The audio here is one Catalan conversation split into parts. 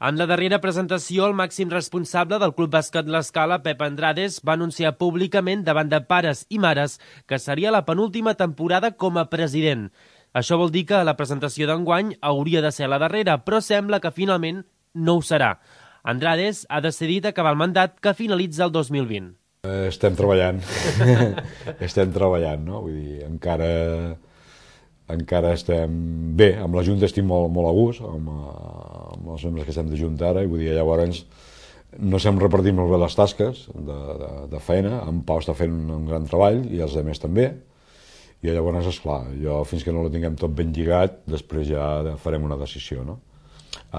En la darrera presentació, el màxim responsable del Club Bàsquet L'Escala, Pep Andrades, va anunciar públicament davant de pares i mares que seria la penúltima temporada com a president. Això vol dir que la presentació d'enguany hauria de ser la darrera, però sembla que finalment no ho serà. Andrades ha decidit acabar el mandat que finalitza el 2020. Estem treballant, no? Vull dir, encara estem bé, amb la Junta estic molt a gust, amb els membres que estem de Junta ara, i vull dir, llavors no se'm repartim molt bé les tasques de feina, en Pau està fent un gran treball i els altres també, i llavors, esclar, jo fins que no ho tinguem tot ben lligat, després ja farem una decisió, no?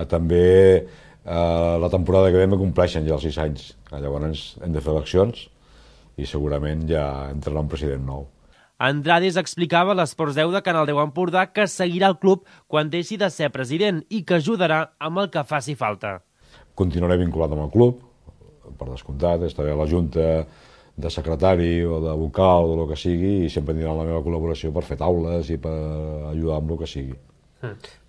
També la temporada que ve me compleixen ja els 6 anys, llavors hem de fer eleccions i segurament ja entrarà un president nou. Andrades explicava a l'Esports 10 de Canal 10 Empordà que seguirà el club quan deixi de ser president i que ajudarà amb el que faci falta. Continuaré vinculat amb el club, per descomptat, estaré a la Junta de secretari o de vocal o el que sigui i sempre tindrà la meva col·laboració per fer taules i per ajudar amb el que sigui.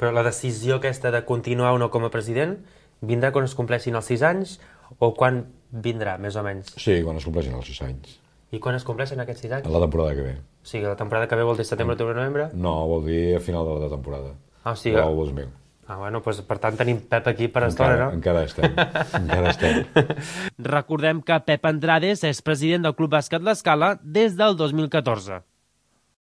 Però la decisió aquesta de continuar o no com a president vindrà quan es compleixin els 6 anys o quan vindrà, més o menys? Sí, quan es compleixin els 6 anys. I quan es compleixen aquests 6 anys? La temporada que ve. O sigui, la temporada que ve vol dir setembre, octubre, novembre? No, vol dir a final de la temporada. O sigui... El 2000. Bueno, doncs per tant tenim Pep aquí per estona, no? Encara estem. Recordem que Pep Andrades és president del Club Bàsquet L'Escala des del 2014.